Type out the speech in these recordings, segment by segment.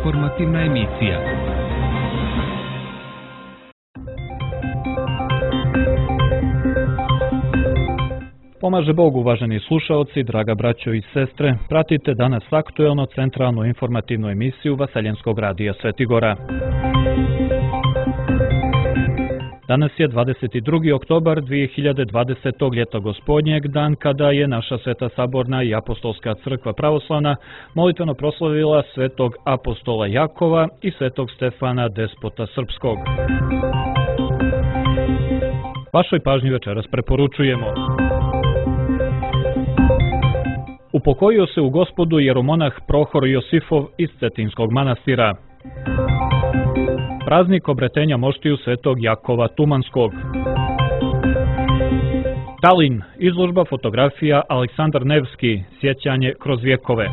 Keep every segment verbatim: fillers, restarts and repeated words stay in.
informativna emisija. Pomaže Bog, uvaženi slušaoci, draga braćo i sestre, pratite danas aktuelno centralnu informativnu emisiju Vaseljenskog radija Svetigora. Danas je dvadeset drugi oktobar dvije hiljade dvadesetog. ljeto gospodnjeg, dan kada je naša Sveta Saborna i Apostolska crkva pravoslavna molitveno proslavila svetog apostola Jakova i svetog Stefana, despota srpskog. Vašoj pažnji večeras preporučujemo: upokojio se u Gospodu jeromonah Prohor Josifov iz Cetinskog manastira. Praznik obretenja moštiju svetog Jakova Tumanskog. Talin, izložba fotografija Aleksandar Nevski, sjećanje kroz vjekove.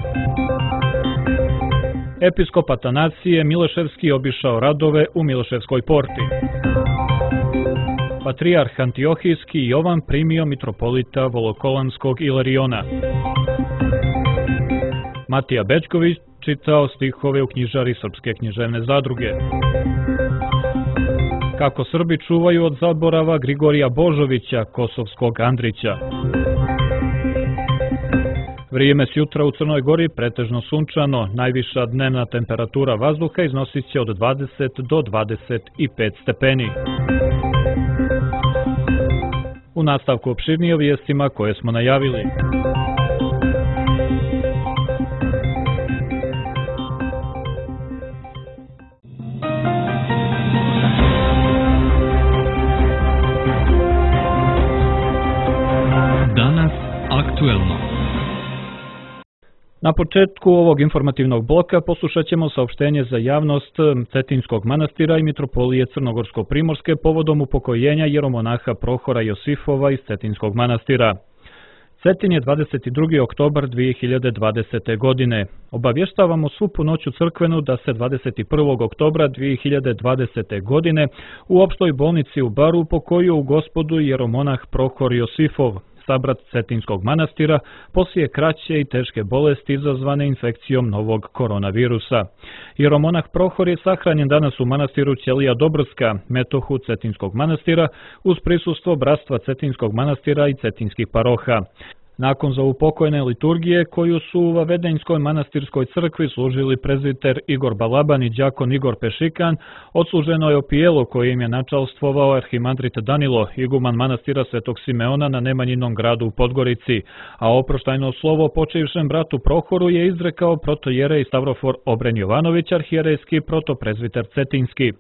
Episkop Atanasije Mileševski obišao radove u Mileševskoj porti. Patrijarh Antiohijski Jovan primio mitropolita Volokolamskog Ilariona. Matija Bečković čitao stihove u knjižari Srpske književne zadruge. Kako Srbi čuvaju od zaborava Grigorija Božovića, kosovskog Andrića. Vrijeme s jutra u Crnoj Gori pretežno sunčano, najviša dnevna temperatura vazduha iznosit će od dvadeset do dvadeset pet stepeni. U nastavku opširnije o vijestima koje smo najavili. Danas aktuelno. Na početku ovog informativnog bloka poslušat ćemo saopštenje za javnost Cetinskog manastira i mitropolije Crnogorsko-Primorske povodom upokojenja jeromonaha Prohora Josifova iz Cetinskog manastira. Cetin je dvadeset drugi oktobar dvije hiljade dvadesete. godine. Obavještavamo svu punoću crkvenu da se dvadeset prvog oktobra dvije hiljade dvadesete. godine u opštoj bolnici u Baru upokojio u Gospodu jeromonah Prohor Josifov, sabrat Cetinskog manastira, poslije kraće i teške bolesti izazvane infekcijom novog koronavirusa. Jeromonah Prohor je sahranjen danas u manastiru Ćelija Dobrska, metohu Cetinskog manastira, uz prisustvo bratstva Cetinskog manastira i cetinskih paroha. Nakon zaupokojene liturgije, koju su u Vavedenjskoj manastirskoj crkvi služili prezbiter Igor Balaban i đakon Igor Pešikan, odsluženo je opijelo koje im je načalstvovao arhimandrit Danilo, iguman manastira Svetog Simeona na Nemanjinom gradu u Podgorici, a oproštajno slovo počivšem bratu Prohoru je izrekao protojerej Stavrofor Obren Jovanović, arhijerejski protoprezbiter Cetinski.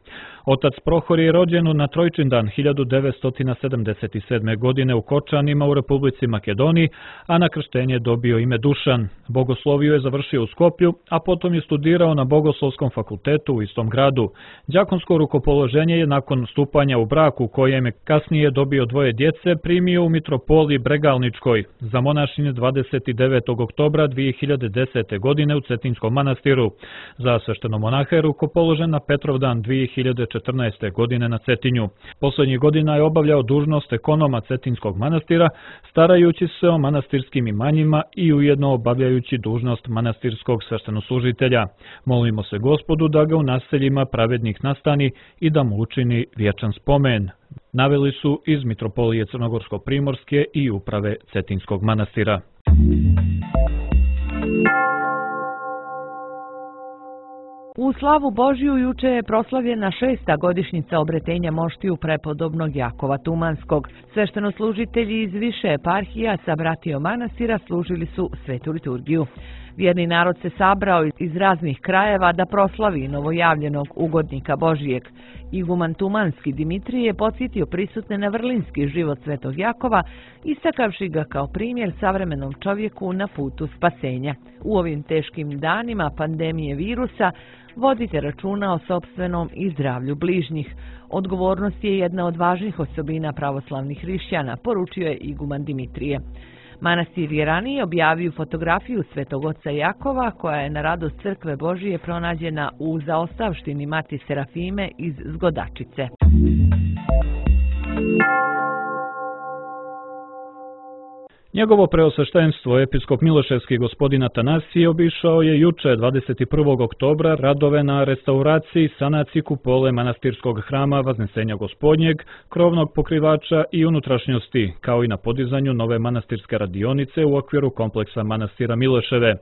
Otac Prohor je rođen na Trojčindan hiljadu devetsto sedamdeset sedme. godine u Kočanima u Republici Makedoniji, a na krštenje dobio ime Dušan. Bogosloviju je završio u Skoplju, a potom je studirao na Bogoslovskom fakultetu u istom gradu. Đakonsko rukopoloženje je nakon stupanja u brak, u kojem je kasnije dobio dvoje djece, primio u mitropoliji Bregalničkoj za monašinje dvadeset devetog oktobra dvije hiljade desete. godine u Cetinskom manastiru. Za sveštenomonaha je rukopoložen na Petrovdan dvije hiljade četrnaeste. godine na Cetinju. Poslednjih godina je obavljao dužnost ekonoma Cetinskog manastira, starajući se o manastirskim imanjima i ujedno obavljajući dužnost manastirskog sveštenoslužitelja. Molimo se Gospodu da ga u naseljima pravednih nastani i da mu učini vječan spomen. Naveli su iz mitropolije Crnogorsko-Primorske i uprave Cetinskog manastira. U slavu Božiju juče je proslavljena šesta godišnjica obretenja moštiju prepodobnog Jakova Tumanskog. Sveštenoslužitelji iz više eparhija sa bratijom manastira služili su svetu liturgiju. Vjerni narod se sabrao iz raznih krajeva da proslavi novojavljenog ugodnika Božijeg. Iguman Tumanski Dimitrije je podsjetio prisutne na vrlinski život svetog Jakova, istakavši ga kao primjer savremenom čovjeku na putu spasenja. U ovim teškim danima pandemije virusa vodite računa o sopstvenom i zdravlju bližnjih. Odgovornost je jedna od važnih osobina pravoslavnih hrišćana, poručio je iguman Dimitrije. Manastir je ranije objavio fotografiju svetog oca Jakova, koja je na radost crkve Božije pronađena u zaostavštini Mati Serafime iz Zgodačice. Njegovo preosveštenstvo, episkop Miloševski gospodin Atanasije, obišao je juče dvadeset prvog oktobra radove na restauraciji i sanaciji kupole manastirskog hrama Vaznesenja Gospodnjeg, krovnog pokrivača i unutrašnjosti, kao i na podizanju nove manastirske radionice u okviru kompleksa manastira Miloševe.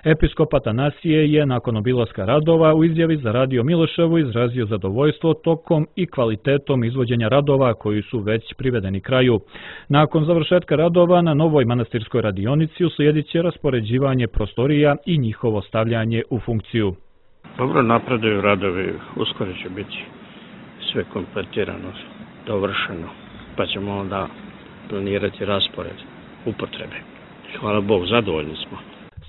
Episkop Atanasije je nakon obilaska radova u izjavi za Radio Miloševu izrazio zadovoljstvo tokom i kvalitetom izvođenja radova koji su već privedeni kraju. Nakon završetka radova na novoj manastirskoj radionici uslijedit će raspoređivanje prostorija i njihovo stavljanje u funkciju. Dobro napreduju radovi, uskoro će biti sve kompletirano, dovršeno, pa ćemo onda planirati raspored upotrebe. Hvala Bogu, zadovoljni smo.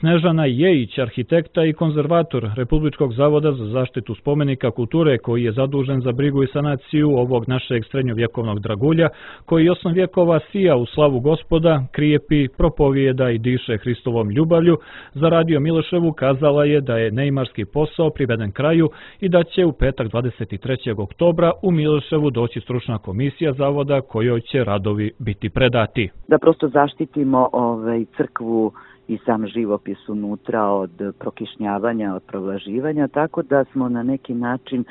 Snežana Jejić, arhitekta i konzervator Republičkog zavoda za zaštitu spomenika kulture, koji je zadužen za brigu i sanaciju ovog našeg srednjovjekovnog dragulja, koji osam vjekova sija u slavu Gospoda, krijepi, propovijeda i diše Hristovom ljubavlju, za Radio Miloševu kazala je da je neimarski posao priveden kraju i da će u petak dvadeset trećeg oktobra u Miloševu doći stručna komisija zavoda kojoj će radovi biti predati. Da prosto zaštitimo ovaj, crkvu i sam živopis unutra od prokišnjavanja, od provlaživanja, tako da smo na neki način e,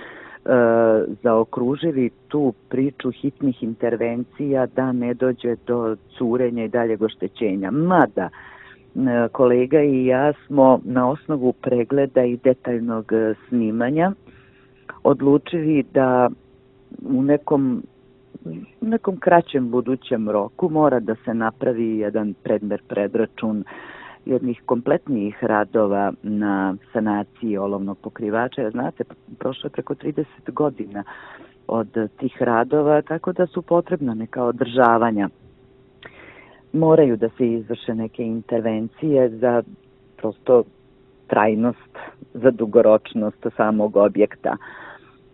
zaokružili tu priču hitnih intervencija da ne dođe do curenja i daljeg oštećenja. Mada, e, kolega i ja smo na osnovu pregleda i detaljnog snimanja odlučili da u nekom u nekom kraćem budućem roku mora da se napravi jedan predmer predračun jednih kompletnijih radova na sanaciji olovnog pokrivača. Jer znate, prošlo je preko trideset godina od tih radova, tako da su potrebna neka održavanja. Moraju da se izvrše neke intervencije za prosto trajnost, za dugoročnost samog objekta.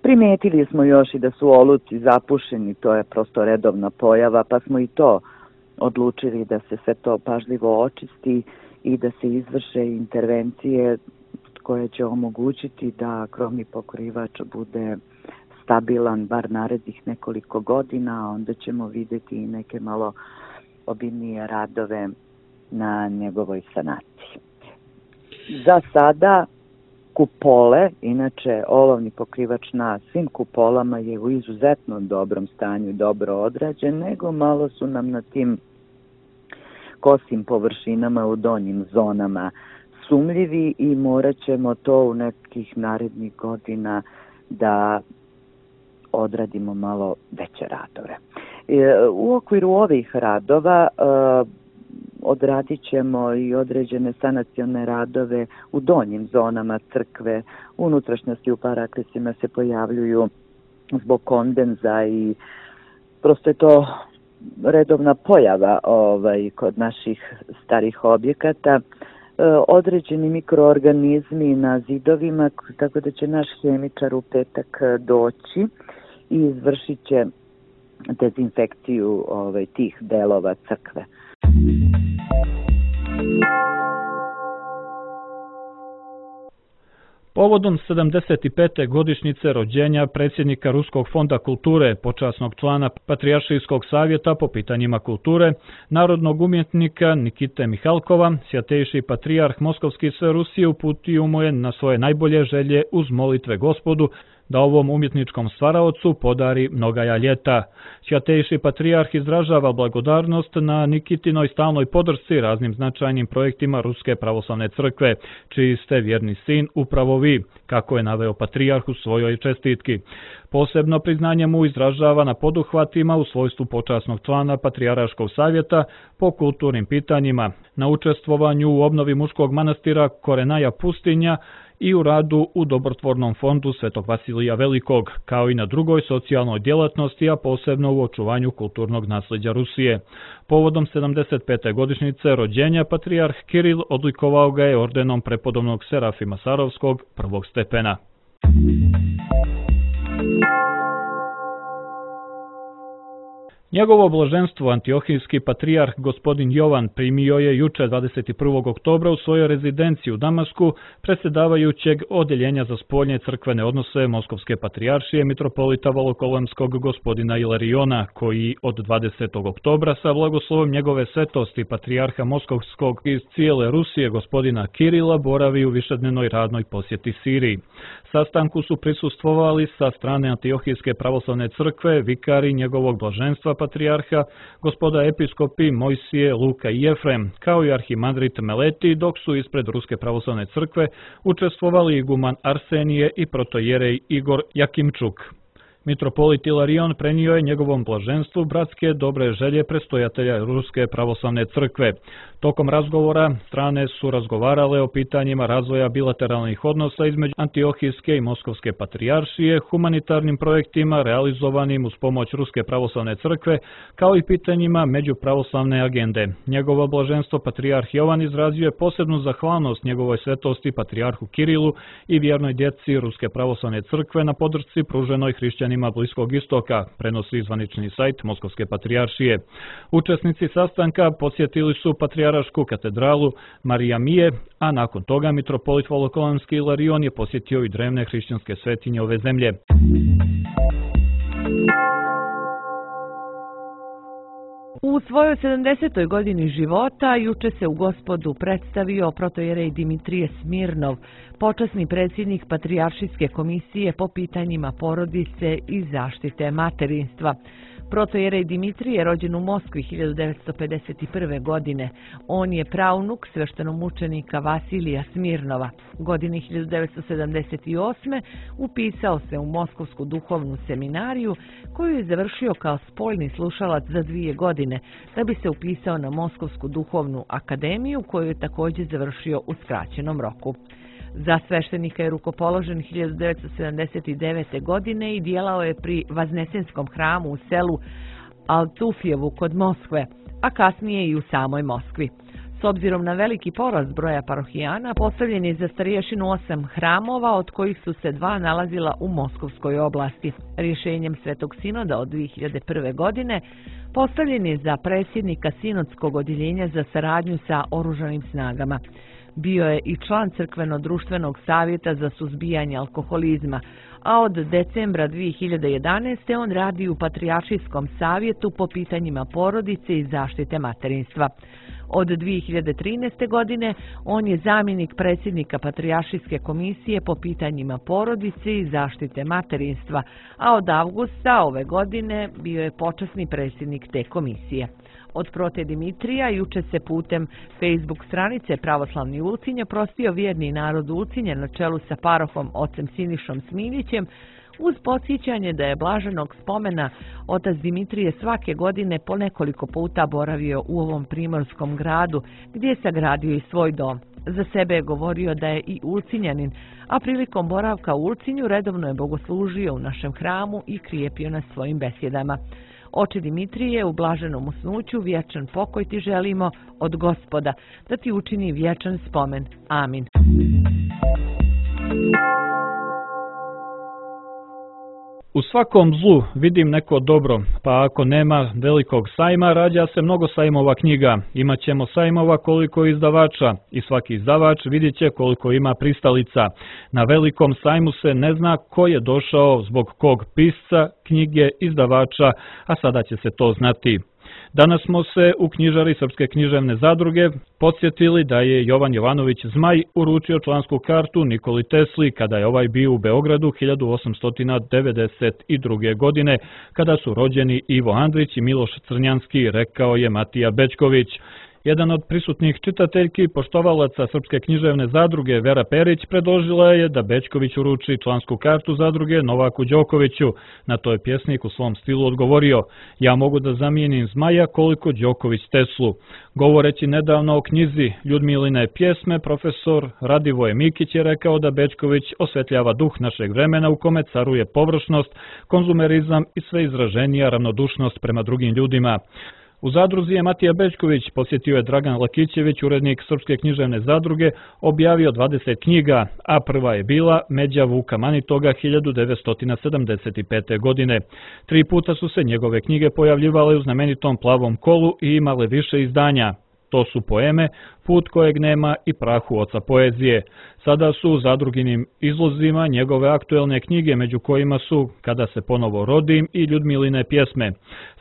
Primetili smo još i da su oluci zapušeni, to je prosto redovna pojava, pa smo i to odlučili da se sve to pažljivo očisti i da se izvrše intervencije koje će omogućiti da krovni pokrivač bude stabilan bar narednih nekoliko godina, a onda ćemo vidjeti i neke malo obimnije radove na njegovoj sanaciji. Za sada kupole, inače olovni pokrivač na svim kupolama je u izuzetno dobrom stanju, dobro odrađen, nego malo su nam na tim kosim površinama u donjim zonama sumljivi i morat ćemo to u nekih narednih godina da odradimo malo veće radove. U okviru ovih radova odradit ćemo i određene sanacione radove u donjim zonama crkve. Unutrašnjosti u paraklisima se pojavljuju zbog kondenza i prosto je to redovna pojava ovaj, kod naših starih objekata. E, određeni mikroorganizmi na zidovima, tako da će naš hemičar u petak doći i izvršit će dezinfekciju ovaj, tih delova crkve. Povodom sedamdeset pete godišnjice rođenja predsjednika Ruskog fonda kulture, počasnog člana Patrijaršijskog savjeta po pitanjima kulture, narodnog umjetnika Nikite Mihalkova, svjatejši patrijarh Moskovski sve Rusije uputio mu je na svoje najbolje želje uz molitve Gospodu da ovom umjetničkom stvaraocu podari mnogaja ljeta. Svjatejši patrijarh izražava blagodarnost na Nikitinoj stalnoj podršci raznim značajnim projektima Ruske pravoslavne crkve, čiji ste vjerni sin upravo vi, kako je naveo patrijarh u svojoj čestitki. Posebno priznanje mu izražava na poduhvatima u svojstvu počasnog člana Patrijaraškog savjeta po kulturnim pitanjima, na učestvovanju u obnovi muškog manastira Korenaja Pustinja i u radu u dobrotvornom fondu Svetog Vasilija Velikog, kao i na drugoj socijalnoj djelatnosti, a posebno u očuvanju kulturnog nasljeđa Rusije. Povodom sedamdeset pete godišnjice rođenja patrijarh Kiril odlikovao ga je ordenom prepodobnog Serafima Sarovskog prvog stepena. Njegovo blaženstvo antiohijski patrijarh gospodin Jovan primio je juče dvadeset prvog oktobra u svojoj rezidenciji u Damasku predsjedavajućeg Odeljenja za spoljne crkvene odnose Moskovske patrijaršije mitropolita Volokolemskog gospodina Ilariona, koji od dvadesetog oktobra sa blagoslovom njegove svetosti patrijarha Moskovskog iz cijele Rusije gospodina Kirila boravi u višednevnoj radnoj posjeti Siriji. Sastanku su prisustvovali sa strane Antiohijske pravoslavne crkve vikari njegovog blaženstva patrijarha, gospoda episkopi Mojsije, Luka i Jefrem, kao i arhimandrit Meleti, dok su ispred Ruske pravoslavne crkve učestvovali iguman Arsenije i protojerej Igor Jakimčuk. Mitropolit Ilarion prenio je njegovom blaženstvu bratske dobre želje predstojatelja Ruske pravoslavne crkve. Tokom razgovora strane su razgovarale o pitanjima razvoja bilateralnih odnosa između Antiohijske i Moskovske patrijaršije, humanitarnim projektima realizovanim uz pomoć Ruske pravoslavne crkve, kao i pitanjima međupravoslavne agende. Njegovo blaženstvo patrijarh Jovan izrazio je posebnu zahvalnost njegovoj svetosti patrijarhu Kirilu i vjernoj djeci Ruske pravoslavne crkve na podršci pruženoj hrišćanima Bliskog istoka, prenosi zvanični sajt Moskovske patrijaršije. Učesnici sastanka posjetili su patrijaršku katedralu Marija Mije, a nakon toga mitropolit Volokolemski Ilarion je posjetio i drevne hrišćanske svetinje ove zemlje. U svojoj sedamdesetoj godini života juče se u Gospodu predstavio protojerej Dimitrije Smirnov, počasni predsjednik Patrijaršijske komisije po pitanjima porodice i zaštite materinstva. Protojerej Dimitrije je rođen u Moskvi hiljadu devetsto pedeset prve. godine. On je praunuk sveštenomučenika Vasilija Smirnova. Godine hiljadu devetsto sedamdeset osme. upisao se u Moskovsku duhovnu seminariju, koju je završio kao spoljni slušalac za dvije godine, da bi se upisao na Moskovsku duhovnu akademiju, koju je također završio u skraćenom roku. Za sveštenika je rukopoložen hiljadu devetsto sedamdeset devete. godine i djelao je pri Vaznesenskom hramu u selu Altufjevu kod Moskve, a kasnije i u samoj Moskvi. S obzirom na veliki porast broja parohijana, postavljen je za starješinu osam hramova, od kojih su se dva nalazila u Moskovskoj oblasti. Rješenjem Svetog sinoda od dvije hiljade prve. godine postavljen je za predsjednika Sinodskog odjeljenja za saradnju sa oružanim snagama. Bio je i član Crkveno-društvenog savjeta za suzbijanje alkoholizma, a od decembra dvije hiljade jedanaeste. on radi u Patrijaršijskom savjetu po pitanjima porodice i zaštite materinstva. Od dvije hiljade trinaeste. godine on je zamjenik predsjednika Patrijaršijske komisije po pitanjima porodice i zaštite materinstva, a od avgusta ove godine bio je počasni predsjednik te komisije. Od prote Dimitrija juče se putem Facebook stranice Pravoslavni Ulcinj prostio vjerni narod Ulcinja na čelu sa parohom ocem Sinišom Smiljićem, uz podsjećanje da je blaženog spomena otac Dimitrije svake godine po nekoliko puta boravio u ovom primorskom gradu, gdje je sagradio i svoj dom. Za sebe je govorio da je i Ulcinjanin, a prilikom boravka u Ulcinju redovno je bogoslužio u našem hramu i krijepio nas svojim besjedama. Oče Dimitrije, u blaženom usnuću vječan pokoj ti želimo od Gospoda, da ti učini vječan spomen. Amin. U svakom zlu vidim neko dobro, pa ako nema velikog sajma, rađa se mnogo sajmova knjiga. Imaćemo sajmova koliko izdavača i svaki izdavač vidjet će koliko ima pristalica. Na velikom sajmu se ne zna ko je došao zbog kog pisca, knjige, izdavača, a sada će se to znati. Danas smo se u knjižari Srpske književne zadruge podsjetili da je Jovan Jovanović Zmaj uručio člansku kartu Nikoli Tesli kada je ovaj bio u Beogradu hiljadu osamsto devedeset druge. godine, kada su rođeni Ivo Andrić i Miloš Crnjanski, rekao je Matija Bećković. Jedan od prisutnih čitateljki, poštovalaca Srpske književne zadruge Vera Perić, predložila je da Bećković uruči člansku kartu zadruge Novaku Đokoviću. Na to je pjesnik u svom stilu odgovorio: ja mogu da zamijenim Zmaja koliko Đoković Teslu. Govoreći nedavno o knjizi Ljudmiline pjesme, profesor Radivoje Mikić je rekao da Bećković osvetljava duh našeg vremena u kome caruje površnost, konzumerizam i sve izraženija ravnodušnost prema drugim ljudima. U zadruzi je Matija Bećković, posjetio je Dragan Lakićević, urednik Srpske književne zadruge, objavio dvadeset knjiga, a prva je bila Međa Vuka Manitoga hiljadu devetsto sedamdeset pete. godine. Tri puta su se njegove knjige pojavljivale u znamenitom Plavom kolu i imale više izdanja. To su poeme Put kojeg nema i Prahu oca poezije. Sada su u zadruginim izlozima njegove aktuelne knjige, među kojima su Kada se ponovo rodim i Ljudmiline pjesme.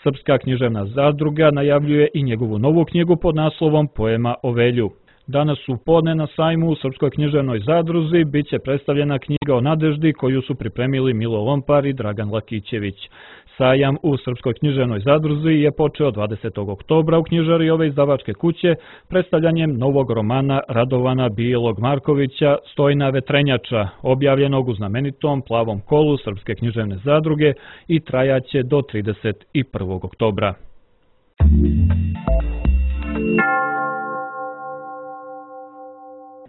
Srpska književna zadruga najavljuje i njegovu novu knjigu pod naslovom Poema o Velju. Danas u podne na sajmu u Srpskoj književnoj zadruzi bit će predstavljena knjiga o nadeždi koju su pripremili Milo Lompar i Dragan Lakićević. Sajam u Srpskoj književnoj zadruzi je počeo dvadesetog oktobra u knjižari ove izdavačke kuće predstavljanjem novog romana Radovana Bijelog Markovića Stojna vetrenjača, objavljenog u znamenitom Plavom kolu Srpske književne zadruge i trajaće do trideset prvog oktobra.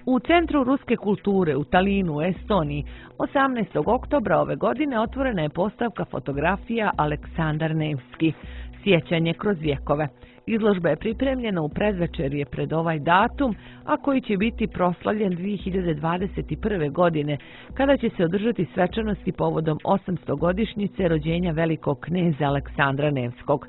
U Centru ruske kulture u Talinu, u Estoniji, osamnaestog oktobra ove godine otvorena je postavka fotografija Aleksandar Nevski, Sjećanje kroz vjekove. Izložba je pripremljena u predvečerje pred ovaj datum, a koji će biti proslavljen dvije hiljade dvadeset prve. godine, kada će se održati svečanosti povodom osamstogodišnjice rođenja velikog kneza Aleksandra Nevskog.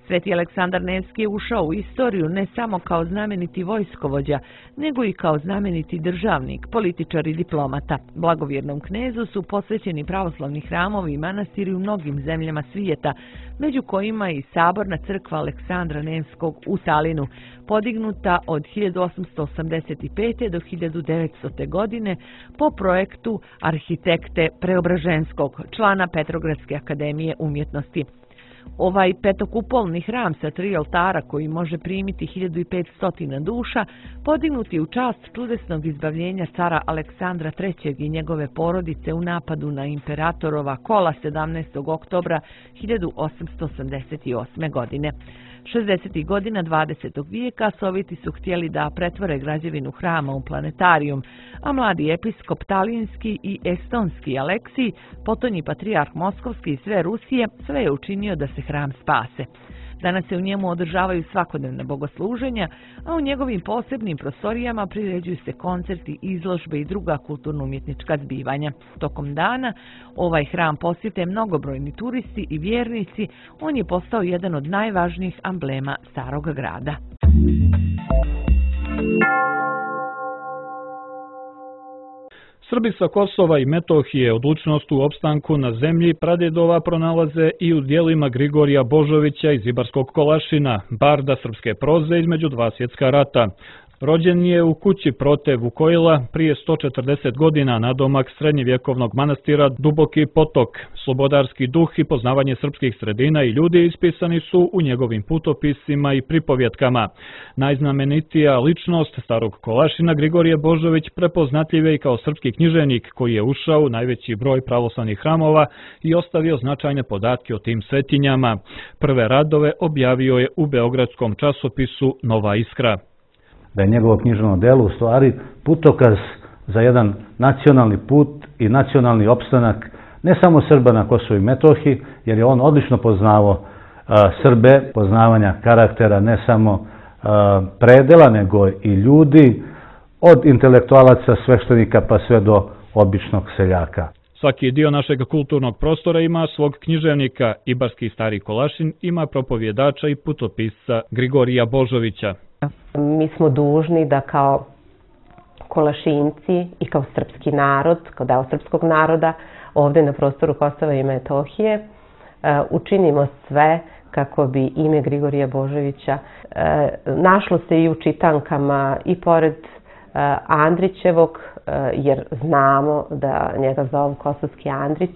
Sveti Aleksandar Nevski je ušao u istoriju ne samo kao znameniti vojskovođa, nego i kao znameniti državnik, političar i diplomata. Blagovjernom knezu su posvećeni pravoslavni hramovi i manastiri u mnogim zemljama svijeta, među kojima i saborna crkva Aleksandra Nevskog u Talinu, podignuta od hiljadu osamsto osamdeset pete. do hiljadu devetsto. godine po projektu arhitekte Preobraženskog, člana Petrogradske akademije umjetnosti. Ovaj petokupolni hram sa tri oltara koji može primiti hiljadu petsto duša, podignut je u čast čudesnog izbavljenja cara Aleksandra trećeg i njegove porodice u napadu na imperatorova kola sedamnaestog oktobra hiljadu osamsto osamdeset osme. godine. šezdesetih godina dvadesetog vijeka Sovjeti su htjeli da pretvore građevinu hrama u planetarijum, a mladi episkop talinski i estonski Aleksij, potonji patrijarh moskovski i sve Rusije, sve je učinio da se hram spase. Danas se u njemu održavaju svakodnevna bogosluženja, a u njegovim posebnim prostorijama priređuju se koncerti, izložbe i druga kulturno-umjetnička zbivanja. Tokom dana ovaj hram posjete mnogobrojni turisti i vjernici, on je postao jedan od najvažnijih amblema starog grada. Srbi sa Kosova i Metohije odlučnost u opstanku na zemlji pradjedova pronalaze i u dijelima Grigorija Božovića iz Ibarskog Kolašina, barda srpske proze između dva svjetska rata. Rođen je u kući Prote Vukojla prije sto četrdeset godina nadomak srednjevjekovnog manastira Duboki potok. Slobodarski duh i poznavanje srpskih sredina i ljudi ispisani su u njegovim putopisima i pripovjetkama. Najznamenitija ličnost starog Kolašina Grigorije Božović prepoznatljiv je i kao srpski književnik koji je ušao u najveći broj pravoslavnih hramova i ostavio značajne podatke o tim svetinjama. Prve radove objavio je u beogradskom časopisu Nova Iskra. Da je njegovo književno delo u stvari putokaz za jedan nacionalni put i nacionalni opstanak ne samo Srba na Kosovu i Metohiji, jer je on odlično poznavao a, Srbe, poznavanja karaktera ne samo a, predela, nego i ljudi, od intelektualaca, sveštenika pa sve do običnog seljaka. Svaki dio našeg kulturnog prostora ima svog književnika. Ibarski Stari Kolašin ima propovjedača i putopisca Grigorija Božovića. Mi smo dužni da kao Kolašinci i kao srpski narod, kao deo srpskog naroda, ovdje na prostoru Kosova i Metohije, učinimo sve kako bi ime Grigorija Božovića našlo se i u čitankama i pored Andrićevog, jer znamo da njega zovu Kosovski Andrić,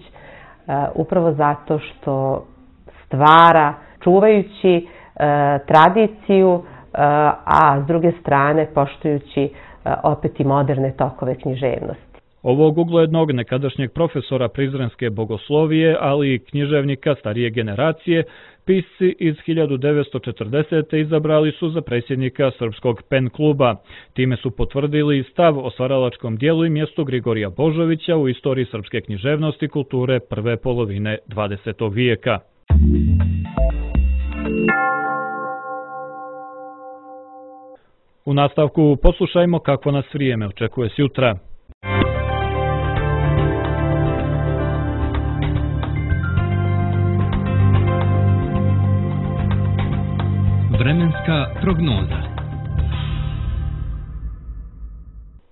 upravo zato što stvara, čuvajući tradiciju, a s druge strane poštujući opet i moderne tokove književnosti. Ovog uglednog nekadašnjeg profesora prizrenske bogoslovije, ali i književnika starije generacije, pisci iz hiljadu devetsto četrdesete. izabrali su za predsjednika Srpskog pen kluba. Time su potvrdili stav o stvaralačkom dijelu i mjestu Grigorija Božovića u istoriji srpske književnosti i kulture prve polovine dvadesetog vijeka. U nastavku poslušajmo kako nas vrijeme očekuje sjutra. Vremenska prognoza.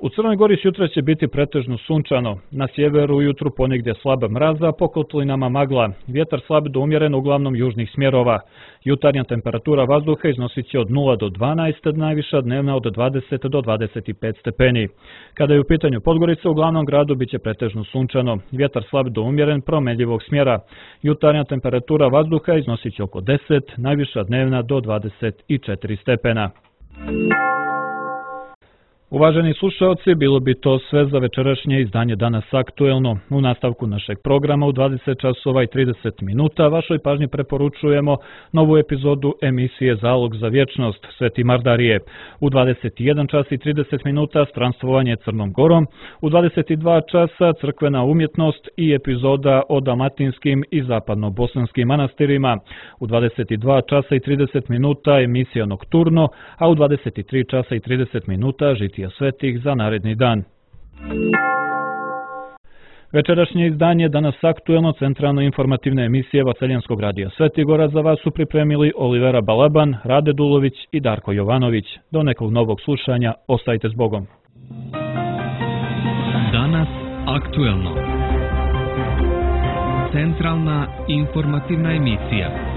U Crnoj Gori sutra će biti pretežno sunčano. Na sjeveru ujutru ponegdje slaba mraza, po kotlinama magla. Vjetar slab do umjeren uglavnom južnih smjerova. Jutarnja temperatura vazduha iznosit će od nula do dvanaest, najviša dnevna od dvadeset do dvadeset pet stepeni. Kada je u pitanju Podgorica, u glavnom gradu biće pretežno sunčano. Vjetar slab do umjeren promenljivog smjera. Jutarnja temperatura vazduha iznosit će oko deset, najviša dnevna do dvadeset četiri stepena. Uvaženi slušalci, bilo bi to sve za večerašnje izdanje Danas aktuelno. U nastavku našeg programa u dvadeset časova i trideset minuta vašoj pažnji preporučujemo novu epizodu emisije Zalog za vječnost Sveti Mardarije. U dvadeset jedan čas i trideset minuta stranstvovanje Crnom Gorom, u dvadeset dva časa crkvena umjetnost i epizoda o dalmatinskim i zapadno-bosanskim manastirima. U dvadeset dva časa i trideset minuta emisija Nokturno, a u dvadeset tri časa i trideset minuta žitija svetih za naredni dan. Večerašnje izdanje Danas aktuelno centralno informativne emisije Vaseljanskog radija Svetigora za vas su pripremili Olivera Balaban, Rade Dulović i Darko Jovanović. Do nekog novog slušanja, ostajte s Bogom. Danas aktuelno. Centralna informativna emisija.